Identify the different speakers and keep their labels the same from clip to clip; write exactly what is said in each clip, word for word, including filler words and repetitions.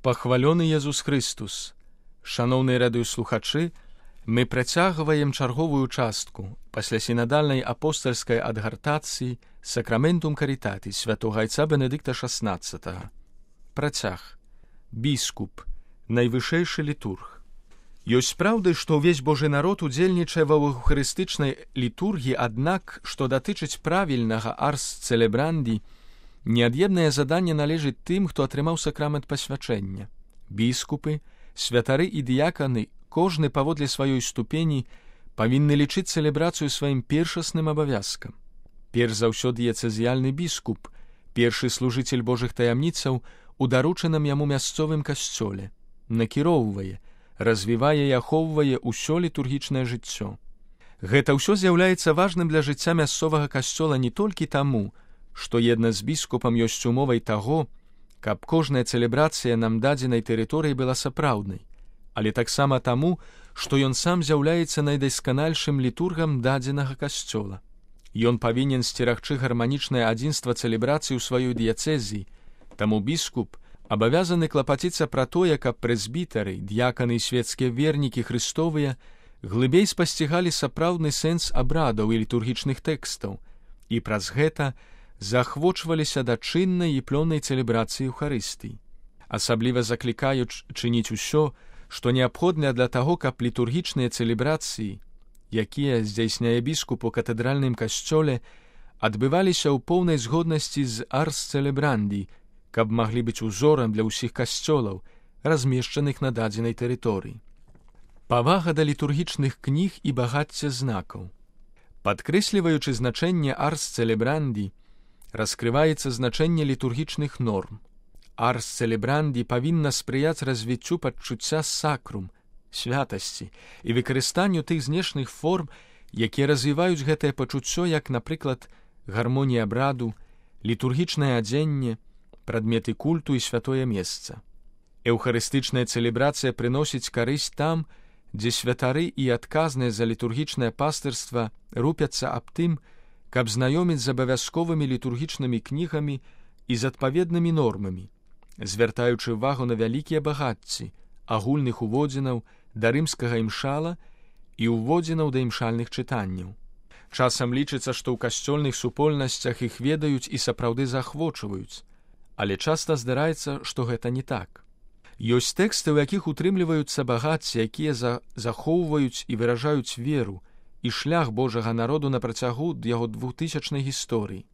Speaker 1: Пахвалёны Езус Христус! Шаноўныя радыёслухачы, мы працягваем чарговую частку пасля сінадальнай апостальскай адгартацыі Сакраментум Карітатис святога айца Бенедыкта шаснаццатага. Працяг. Біскуп, найвышэйшы літург. Ёсць праўды, што ўвесь Божы народ удзельнічае ва эўхарыстычнай літургіі, аднак, што датычыць правільнага арс цэлебранді, неад'емнае заданне належыць тым, хто атрымаў сакрамент пасвячэння. Біскупы, святары і дыяканы, кожны паводле сваёй ступені, павінны лічыць цэлебрацыю сваім першасным абавязкам. Перш за ўсё дыяцэзіяльны біскуп, першы служыцель Божых таямніцаў у даручаным яму мясцовым касцёле, накіроўвае, развівае і ахоўвае ўсё літургічнае жыццё. Гэта ўсё з'яўляецца важным для жыцця мясцовага касцёла не толькі таму, што една з біскупам ёсць умовай таго, каб кожная цэлебрацыя нам дадзенай тэрыторыі была сапраўднай, але таксама таму, што ён сам з'яўляецца найдасканальшым літургам дадзенага касцёла. Ён павінен сцерагчы гарманічнае адзінства цэлебрацыі ў сваёй дыяцэзіі, таму біскуп абавязаны клапаціцца пра тое, каб прэзбітары, д'яканы і свецкія вернікі хрыстовыя глыбей спасцігалі сапраўдны сэнс абрадаў і літургічных тэкстаў, і праз гэта заахвочваліся да чыннай і плённай цэлебрацыі Еўхарыстыі. Асабліва заклікаюць чыніць усё, што неабходна для таго, каб літургічныя цэлебрацыі, якія здзяйсняе біскуп у катэдральным касцёле, адбываліся ў поўнай згоднасці з арс цэлебранді, каб маглі быць узорам для ўсіх касцёлаў, размешчаных на дадзенай тэрыторыі. Павага да літургічных кніг і багацце знакаў. Падкрэсліваючы значэнне арс цэлебранді, раскрываецца значэнне літургічных норм. Арс цэлебранді павінна спрыяць развіццю пачуцця сакрум, святасці і выкарыстанню тых знешних форм, якія развіваюць гэтае пачуццё, як, напрыклад, гармонія абраду, літургічнае адзенне, прадметы культу і святое месца. Эўхарыстычная цэлебрацыя прыносіць карысць там, дзе святары і адказныя за літургічнае пастырства рупяцца аб тым, каб знаёміць з абавязковымі літургічнымі кнігамі і з адпаведнымі нормамі, звяртаючы ўвагу на вялікія багацці, агульных уводзінаў да рымскага імшала і уводзінаў да імшальных чытанняў. Часам лічыцца, што ў касцёльных супольнасцях іх ведаюць і сапраўды заахвочваюць, але часта здараецца, што гэта не так. Ёсць тэксты, у якіх утрымліваюцца багацці, якія за... захоўваюць і выражаюць веру і шлях Божага народу на працягу яго двухтысячнай гісторыі.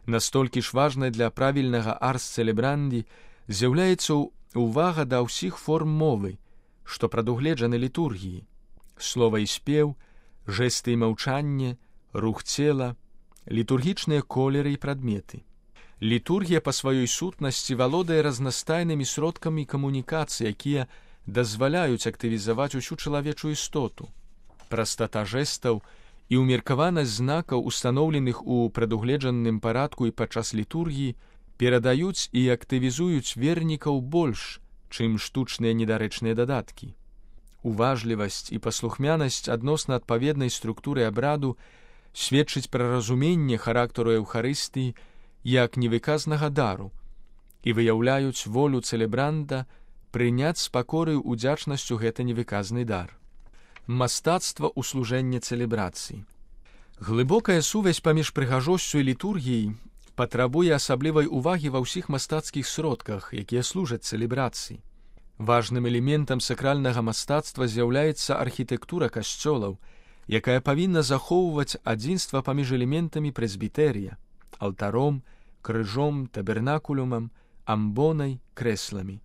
Speaker 1: Настолькі ж важнай для правільнага арс цэлебранді з'яўляецца увага да ўсіх форм мовы, што прадугледжаны літургіі, слова і спеў, жэсты і маўчанне, рух цела, літургічныя колеры і прадметы. Літургія па сваёй сутнасці валодае разнастайнымі сродкамі камунікацыі, якія дазваляюць актывізаваць усю чалавечую істоту. Прастата жэстаў і ўмеркаванасць знакаў, устаноўленых у прадугледжаным парадку і падчас літургіі, перадаюць і актывізуюць вернікаў больш, чым штучныя недарэчныя дадаткі. Уважлівасць і паслухмянасць адносна адпаведнай структуры абраду сведчыць пра разуменне характару Еўхарыстыі як невыказнага дару і выяўляюць волю цэлебранда прыняць з пакораю удзячнасцю гэты невыказны дар. Мастацтва ў служэнні цэлебрацыі. Глыбокая сувязь паміж прыгажосцю і літургіяй патрабуе асаблівай увагі ва ўсіх мастацкіх сродках, якія служаць цэлебрацыі. Важным элементам сакральнага мастацтва з'яўляецца архітэктура касцёлаў, якая павінна захоўваць адзінства паміж элементамі прэзбітэрыя, алтаром, крыжом, табернакулюмам, амбонай, крэсламі.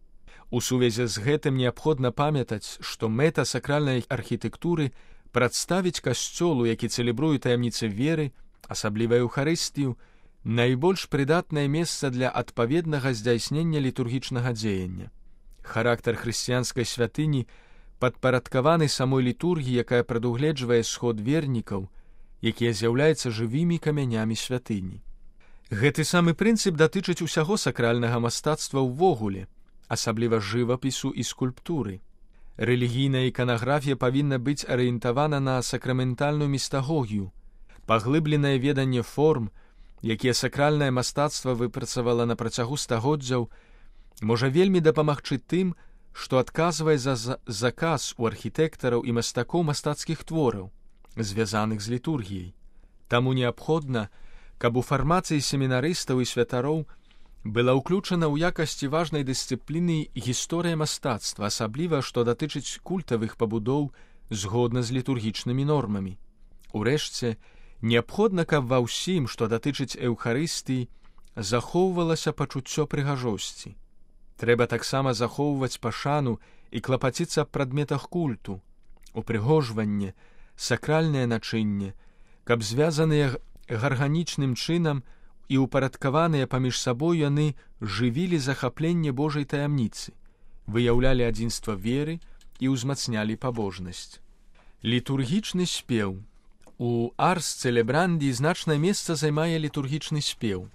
Speaker 1: У сувязі з гэтым неабходна памятаць, што мэта сакральнай архітэктуры прадставіць касцёлу, які цэлебруе таямніцы веры, асабліва Еўхарыстыю, найбольш прыдатнае месца для адпаведнага здзяйснення літургічнага дзеяння. Характар хрысціянскай святыні падпарадкаваны самой літургіі, якая прадугледжвае сход вернікаў, якія з'яўляюцца жывымі камянямі святыні. Гэты самы прынцып датычыць усяго сакральнага мастацтва ўвогуле, асабліва жывапісу і скульптуры. Рэлігійная іканаграфія павінна быць арыентавана на сакраментальную містагогію, паглыбленае веданне форм, якія сакральнае мастацтва выпрацавала на працягу стагоддзяў, можа вельмі дапамагчы тым, што адказвае за заказ у архітэктараў і мастакоў мастацкіх твораў, звязаных з літургіяй. Таму неабходна, каб у фармацыі семінарыстаў і святароў была ўключана ў якасці важнай дысцыпліны гісторыя мастацтва, асабліва, што датычыць культавых пабудоў згодна з літургічнымі нормамі. Урэшце, неабходна, каб ва ўсім, што датычыць эўхарыстыі, захоўвалася пачуццё прыгажосці. Трэба таксама захоўваць пашану і клапаціцца аб прадметах культу, упрыгожванне, сакральнае начынне, каб звязаныя гарганічным чынам і упарадкаваныя паміж сабой яны жывілі захапленне Божай таямніцы, выяўлялі адзінства веры і ўзмацнялі пабожнасць. Літургічны спеў. У Арс Целебранді значнае месца займае літургічны спеў.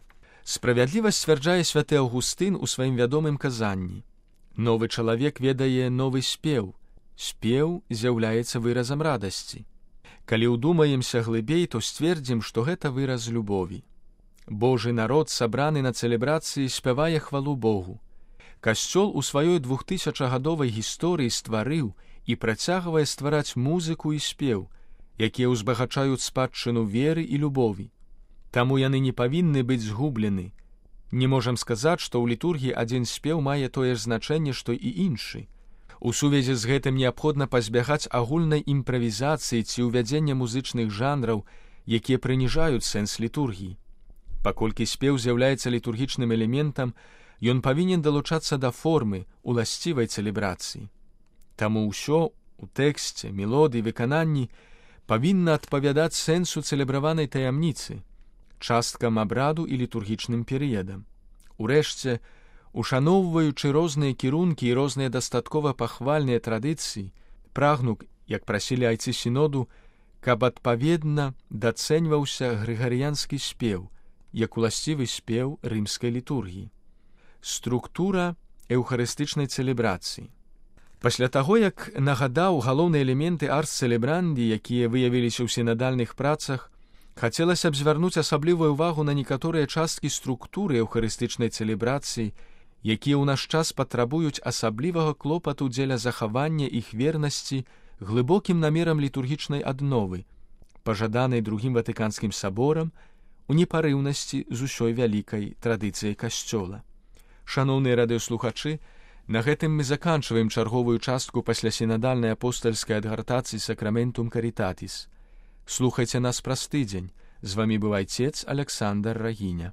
Speaker 1: Справядліва сцвярджае святы Аўгустын у сваім вядомым казанні. Новы чалавек ведае новы спеў. Спеў з'яўляецца выразам радасці. Калі ўдумаемся глыбей, то сцвердзім, што гэта выраз любові. Божы народ, сабраны на цэлебрацыі, спявае хвалу Богу. Касцёл у сваёй двухтысячагадовай гісторыі стварыў і працягвае ствараць музыку і спеў, якія ўзбагачаюць спадчыну веры і любові. Таму яны не павінны быць згублены. Не можам сказаць, што ў літургіі адзін спеў мае тое ж значэнне, што і іншы. У сувязі з гэтым неабходна пазбягаць агульнай імправізацыі ці ўвядзення музычных жанраў, якія прыніжаюць сэнс літургіі. Паколькі спеў з'яўляецца літургічным элементам, ён павінен далучацца да формы, уласцівай цэлебрацыі. Таму ўсё у тэксце, мелодыі, выкананні павінна адпавядаць сэнсу цэлебраванай таямніцы, часткам абраду і літургічным перыядам. Урэшце, ушаноўваючы розныя кірункі і розныя дастаткова пахвальныя традыцыі, прагну, як прасілі айцы сіноду, каб адпаведна дацэньваўся грыгарыянскі спеў, як уласцівы спеў рымскай літургіі. Структура эўхарыстычнай цэлебрацыі. Пасля таго, як нагадаў галоўныя элементы Арс Целебранді, якія выявіліся ў сінадальных працах, хацелася б звярнуць асаблівую ўвагу на некаторыя часткі структуры эўхарыстычнай цэлебрацыі, якія ў наш час патрабуюць асаблівага клопату дзеля захавання іх вернасці глыбокім намерам літургічнай адновы, пажаданай другім Ватыканскім саборам, у непарыўнасці з усёй вялікай традыцыяй касцёла. Шаноўныя радыёслухачы, на гэтым мы заканчваем чарговую частку паслясінадальнай апостальскай адгартацыі Сакраментум Карітатіс. Слухайце нас праз тыдзень. З вамі быў айцец Аляксандр Рагіня.